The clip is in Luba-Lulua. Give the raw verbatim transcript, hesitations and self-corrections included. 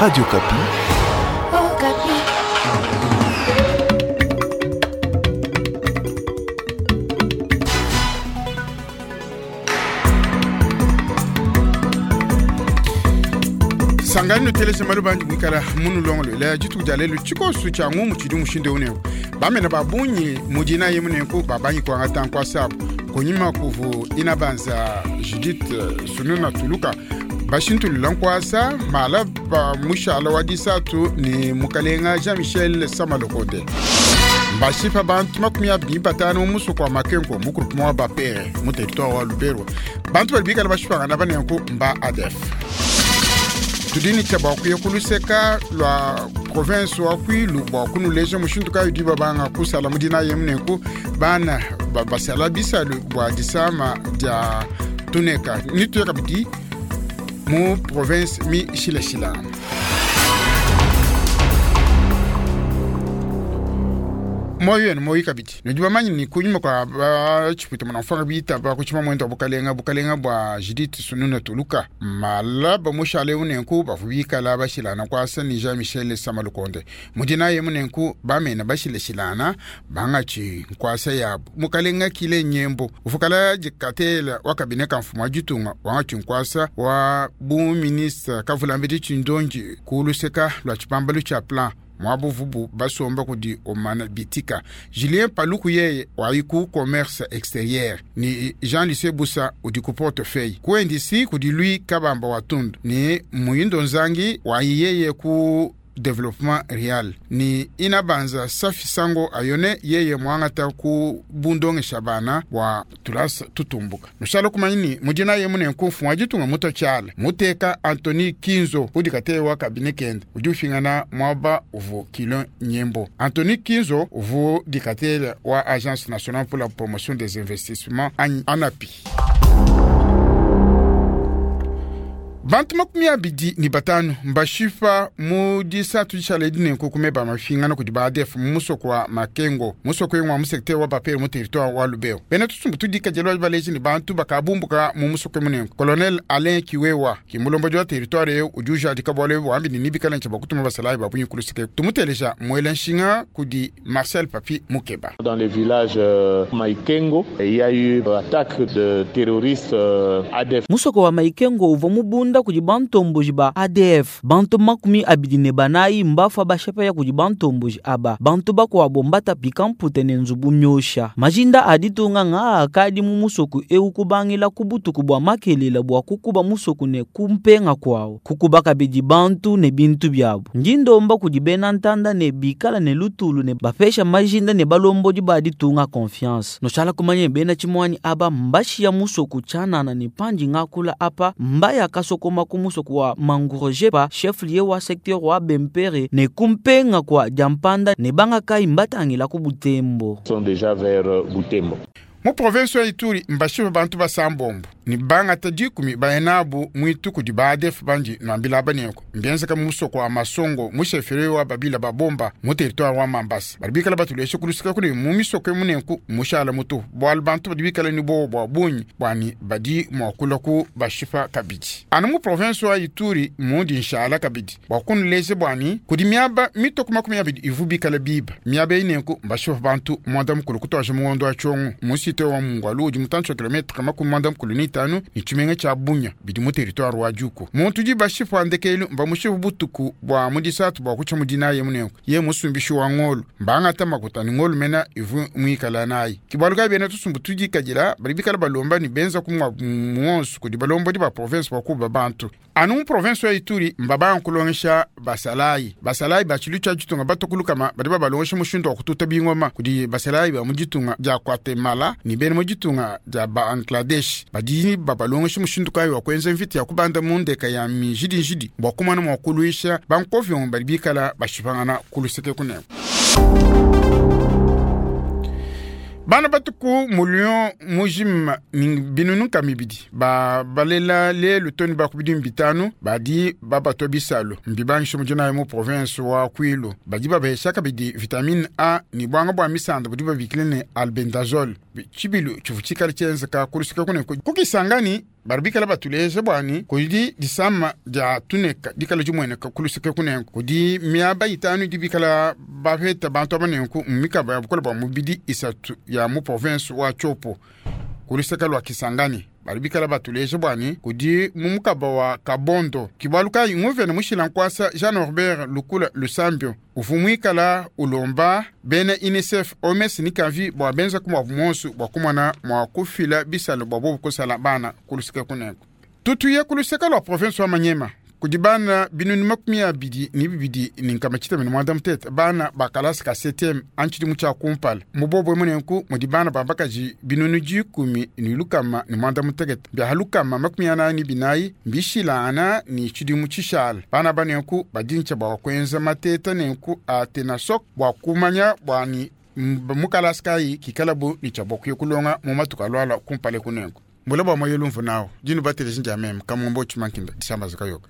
Radio Okapi. Oh, Okapi. Sangani nuteleja malu bandi kuikala munulongolwela dituku dia lelu tshikosu tshia ngumu tshidi mushindu eu nenku bamene ba bungi mudina ye munenku babangi kuangata nkuasa abu kunyima kuvu ina banza Judith Sununa Tuluka bashintulula nkuasa mala ba mushala wa disatu ni mukalenga Jean-Michel Samalokote. Bashipa bantu makumi abidi batano mu musoko wa Makengo mu groupement wa Bapere mu territoire wa Lubero. Bantu bali bikala bashipangana banenku mba A D F. Tudini tshia bua kuya kuluseka lua province wa Kwilu bua kunuleja mushindu kayi udi babanga kusala mu dina ye munenku bana ba basala bisalu bua disama dia tuneka nituya kabidi mu province mi shilashila. Moyo yenu moyo kabidi nudi bamanyi ni kunyima kwa ba tshipita muna mfanga bita ba kuchima mwendo wa bukalenga bukalenga bua Judith Sununa Tuluka malaba mushale unenku bavubikala bashilana kwasa ni Jean Michel Samalukonde mudina ye munenku bamena bashilashilana bangachi nkwasa yabo mukalenga kile nyembo ufukala jikatela wakabine kamfuma jitunga wangachi nkwasa wa bu ministre kavulambidi chindonji kuluseka lwa chipambalu cha plan mwabuvubu basomba kudi omana bitika Julien Paluku yeye waiku commerce extérieur ni Jean-Lucien Bussa udi ku portefeuille kuendisi kudi lui Kabamba Watundu ni Muyindo Nzangi waiyeye ku développement real ni inabanza Safi Sango ayone yeye mwangata ku bundonge shabana wa tulasa tutumbuka nushalo kumanyini mujina ye mune nkufu wajitunga muto chala muteka Anthony Kinzo udi katewa kabine kende udi ufingana mwaba uvu kilo nyembo Anthony Kinzo uvu dikatele wa Agence nationale pour la promotion des investissements ANAPI. Bantu makumi abidi ni batanu mbashifa mu disatu dishala edinenku kumeba mafingana kudi ba A D F mu musoko wa Makengo musoko wa mu secteur wa Bapere mu territoire wa Lubero bena tusumbu tudikajela baleji ni bantu bakabumbuka mu musoko munenku Colonel Alain Kiwewa kimulomboji wa territoire eu ujuja adikabwale wambi ni nibikala ncha bakutuma basalayi babunyi kulusike tumuteleja mwela nshinga kudi Marcel Papi Mukeba. Dans le village euh, Maïkengo, il y a eu attaque de terroristes euh, A D F. Musoko wa Maïkengo uvo mubunda kudi bantomboji ba A D F bantu makumi abidi ne banayi mbafa bashepa ya kudi bantomboji aba bantu bakwabo mbata pikampute ne nzubu myosha majinda aditunga nga akadi mu musoku eu kubangila kubutuku bwa makelela bwa kukuba musoku ne kumpenga kwawo kukuba kabidi bantu ne bintu byabo njindomba kudi bena ntanda ne bikala ne lutulu ne bapesha majinda ne balombodi ba ditunga confiance noshala kumanye bena chimwani aba mbashiya musoku chanana ne panji ngakula apa mbaya kasoko makumuso kwa mangurojepa chef lié wa secteur wa Bempere ne kumpenga kwa jampanda ne banga kai mbatangila ku Butembo. Sont déjà vers Butembo. Mu province ya Ituri mbashipa bantu basambombo ni banga tadikumi baenabu mwitu kudi ba A D F banji nwambila baneko mbianza mu musoko wa Masongo mu chefferie wa Babila babomba mu territoire wa Mambasa balibikala batuleshe kulusika kuli mu misoko emunenku mushala mutu bwal bantu badibikala ni bo bwa bunyi bwani badi mwakula ku bashipa kabidi anu mu province wa Ituri mundi nshala kabidi bwakunuleze bwani kudi miaba mitoko makumi abidi ivubikala biba miaba inenku mbashipa bantu mwanda mukulu kutwaje muwondo wa chongo musi wa Mungwalu udi mutantsho kilometre makumi mwanda mukulu ni tanu ni tshimenga tsha Bunya bidi mu territoire wa Djuku muntu udi bashipa ndekelu mba mushipu butuku bwa mudisatu bwa kutsha mudina ye munenku ye musumbishi wa ngolo mbangata makuta ni ngolo mena ivu mwikala nayi kibaluka bena tusumbu tudikajila bali bikala balomba ni benza kumwa muonso kudi balomba di ba province bwa kuba bantu anu mu province ya Ituri mbaba nkulongesha basalayi basalayi bachilu tsha ditunga batokulukama badi babalongesha mushindu wa kututa bingoma kudi basalayi ba mu ditunga dia Guatemala ni bene mu ditunga dia Bangladesh badi babalongesha mushindu kayi wa kuenza mvita ya kubanda mu ndeka ya mijidijidi bua kumana mua kuluisha bankovyo badi bikala bashipangana kuluseke kuneko. Bana batuku mulio mujima ni binunu kamibidi ba balela lelu toni bakubidi bitanu badi babatwa bisalo mbibangisho mujina mu province wa Kwilu badi babesha kabidi vitamine A ni bwanga bwa misanda budi babikile ne albendazole chibilu chivuchikali chenzeka kulusika kune kukisangani baribikala batuleje bwani kudi disama dia tuneka dikala jimweneka kulusika kunenku kudi miaba itanu dibikala bapeta bantu abanenku mumikaba ya bukola bwa mubidi isatu ya mu province wa Tshopo kulusika lwa Kisangani baribikala batuleje bwani kudi mumukaba wa Kabondo kibaluka inguvene mushila nkwasa Jean Norbert Lukula Lusambio uvumwikala ulomba bene UNICEF O M S ni kavi bwa benza kumwa monsu bwa kumwana mwa kufila bisalo bwa bobu kusala bana kulusika kuneko. Tutuye kulusika lwa province wa Manyema kudi bana binunu makumi abidi ni bibidi ni nkama tshitema ne mwanda mutete bana bakalasi ka septième antshidi tshia kumpala mubobwe munenku mudi bana bambakaji binunu dikumi ni lukama ni mwanda mutekete bia lukama makumi anayi ni binayi mbishilana ni tshidimu tshishala bana banenku badintsha bua kuenza mateta nenku a tenasok bua kumanya bua ni mukalasi kayi kikalabu ni tshia bua kuya kulonga mu matuku alwala kumpala kunenku mbula bua moyo lumvu nawo dinu bateleji ndia meme kamombo tshimankinda disamba zikayoka.